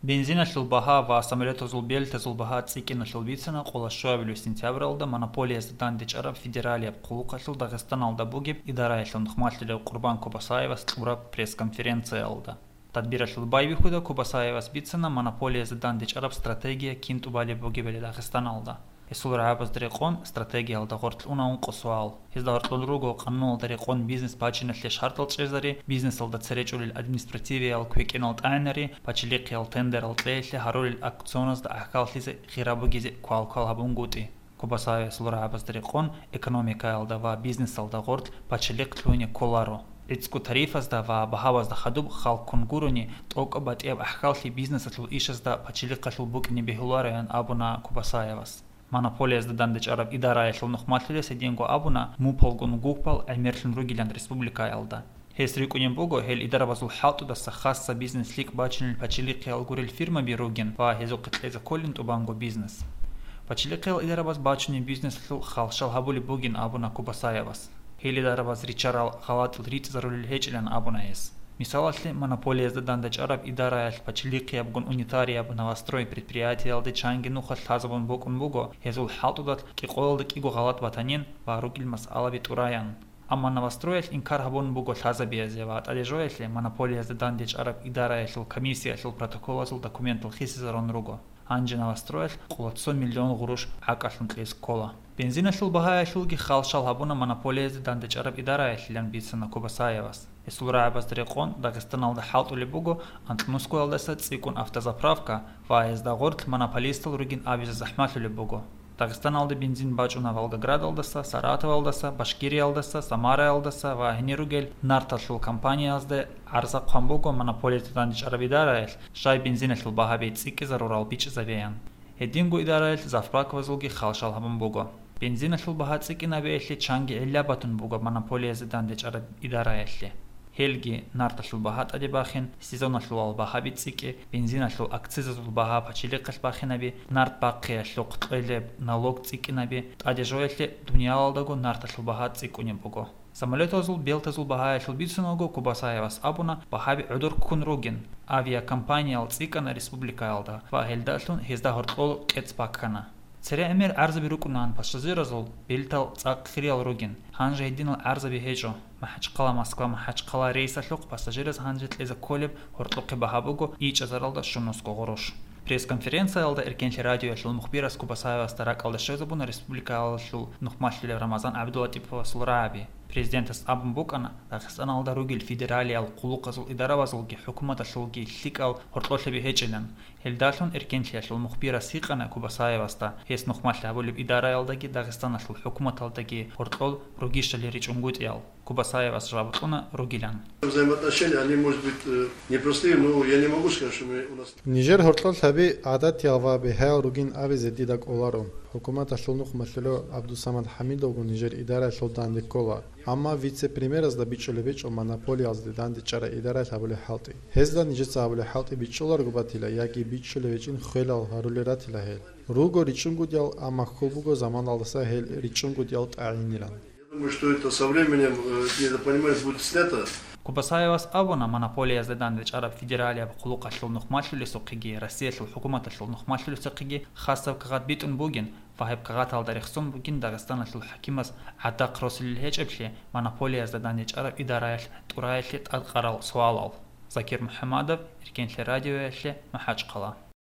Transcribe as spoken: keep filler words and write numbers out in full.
Бензиналъул багьа ва самолетазул бельтазул багьа цӀикӀкӀиналъул бицана къоло щуабилев сентябралда монополиязда дандечӀараб федералияб хъулухъалъул Дагъистаналда бугеб идараялъул нухмалъулев Къурбан Кубасаевас кьураб пресс-конференциялда. Тадбиралъул байбихьуда Кубасаевас бицана монополиязда дандечӀараб стратегия кин тӀубалеб бугебали Дагъистаналда. Гьесул рагӀабазда рекъон стратегиялда гъоркь уна ункъо суал. Гьезда гьоркьор руго къануналда рекъон бизнес бачиналъе шартӀал чӀезари, бизнесалда цере чӀолел административиял квекӀинал тӀагӀинари, пачалихъиял тендерал кьеялъе гьарулел аукционазда гӀахьаллъизе гъира бугезе квалквал гьабунгутӀи. Кубасаевасул рагӀабазда рекъон экономикаялда ва бизнесалда гъоркь пачалихъ лъугьине кколаро. ГӀицӀго тарифазда ва багьабазда хадуб халккун гурони, тӀокӀаб батӀияб гӀахьаллъи бизнесалъул ишазда пачалихъалъул букӀине бегьулароян абуна Кубасаевас. Монополиязда дандечӀараб идараялъул нухмалъулес гьединго абуна мупалгун гупал гӀемерлъун ругилан республикаялда. Гьес рикӀкӀунеб буго гьел идарабазул хӀалтӀудаса хасса бизнес-лъикӀ бачинел пачалихъиял гурел фирмаби ругин ва гьезухъе кьезе кколин тӀубанго бизнес. Пачалихъиял идарабаз бачунеб бизнесалъул халщал гьабулеб бугин абуна Кубасаевас. Гьел идарабаз риччарал гъалатӀил ритӀизарулел гьечӀилан абуна гьес. Мисалалъе, монополиязда дандечӀараб идараялъ пачалихъиябгун унитарияб «Новострой» предприятиялде чанги нухалъ лъазабун букӀун буго гьезул хӀалтӀудалъ кӀикъоялда кӀиго гъалатӀ батанин ва ругел масъалаби тӀураян. Амма «Новостроялъ» инкар гьабун буго лъазабизе ва тӀаде жоялъе монополиязда дандечӀараб идараялъул комиссиялъул протоколазул документал хисизарун руго. Гьанже «Новостроялъ» къоло цо миллион гъурущ гӀакӀалъун кьезе ккола. Бензиналъул багьаялъулги халщал гьабуна монополиязда дандечӀараб идараялъилан бицана Кубасаевас. Гьесул рагӀабазда рекъон Дагъистаналда хӀалтӀулеб буго анкьнускоялдаса цӀикӀкӀун автозаправка ва гьезда гъоркь монополистал ругин абизе захӀмалъулеб буго. Дагъистаналда бензин бачӀуна Волгоградалдаса, Саратовалдаса, Башкириялдаса, Самараялдаса ва гьенир ругел нарталъул компаниязда гӀарза хъван буго монополиязда дандечӀараб идараялъ, щай бензиналъул багьаби цӀикӀкӀизарурал бичӀчӀизабеян. Гьединго идараялъ заправкабазулги халщал гьабун буго. Бензиналъул багьа цӀикӀкӀинабиялъе чанги гӀилла батун буго монополиязда дандечӀараб идараялъе. Гьелги нарталъул багьа тӀаде бахин, сезоналъулал багьаби цӀикӀкӀи, бензиналъул акцизазул багьа пачалихъалъ бахинаби, нарт бахъиялъухъ кьолеб налог цӀикӀкӀинаби, тӀаде жоялъе дуниялалдаго нарталъул багьа цӀикӀкӀунеб буго. Самолетазул бельтазул багьаялъул бицунаго Кубасаевас абуна багьаби гӀодор ккун ругин, авиакомпаниял цӀикӀкӀана республикаялда ва гьелдалъун гьезда гьоркьор кӀецӀ баккана. Цере гӀемер гӀарзаби рукӀунаан пассажиразул, бельтал цӀакъ хириял ругин, гьанже гьединал гӀарзаби гьечӀо. МахӀачхъала-Москва-МахӀачхъала рейсалъухъ пассажираз гьанже кьезе кколеб гьоркьохъеб багьа буго ичӀазаралда щунусго гъурущ. Пресс-конференциялда Эркенлъи радиоялъул мухбирас Кубасаевасда ракӀалде щвезабуна республикаялъул нухмалъулев Рамазан ГӀабдулатӀиповасул рагӀаби. Президентас абун букӀана Дагъистаналда ругел федералиял хъулухъазул идарабазулги хӀукуматалъулги лъикӀал гьоркьолъаби гьечӀилан. Гьелдалъун Эркенлъиялъул мухбирас гьикъана Кубасаевасда, гьес нухмалъ гьабулеб идараялдаги Дагъистаналъул хӀукуматалдаги гьоркьор ругищали ричӀунгутӀиял. Кубасаевас жаваб кьуна ругилан. Взаимоотношения, они, может быть, э, непростые, но я не могу сказать, что мы, у нас... Нижер гьоркьор лъаби гӀадатиял ва бигьаял ругин абизе дида кӀоларо. ХӀукуматалъул нухмалъулев ГӀабдусамад ХӀамидовго нижер идараялъул данде ккола. Амма вице-премьеразда бичӀчӀулеб гьечӀо монополиялъе дандечӀараб идараялъ гьабулеб хӀалтӀи. Гьезда нижеца гьабулеб хӀалтӀи бичӀчӀуларого батила яги бичӀчӀулеб гьечӀин хвелал гьарулел ратила гьел. Руго ричӀчӀунгутӀиял, амма хьул буго заманалдаса гьел ричӀчӀунгутӀиял тӀагӀинилан. Я думаю, что это со временем, э, недопонимание будет снято. Кубасаевас абуна, монополиязда дандечӀараб федералияб хъулухъалъул нухмалъулесухъеги Россиялъул хӀукуматалъул нухмалъулесухъеги хасаб кагъат битӀун бугин ва гьеб кагъаталда рехсон бугин Дагъистаналъул хӀакимас гӀадахъ росулел гьечӀеблъи монополиязда дандечӀараб идараялъ тӀураялъе тӀадкъарал суалал. Закир МухӀамадов, Эркенлъи радиоялъе, МахӀачхъала.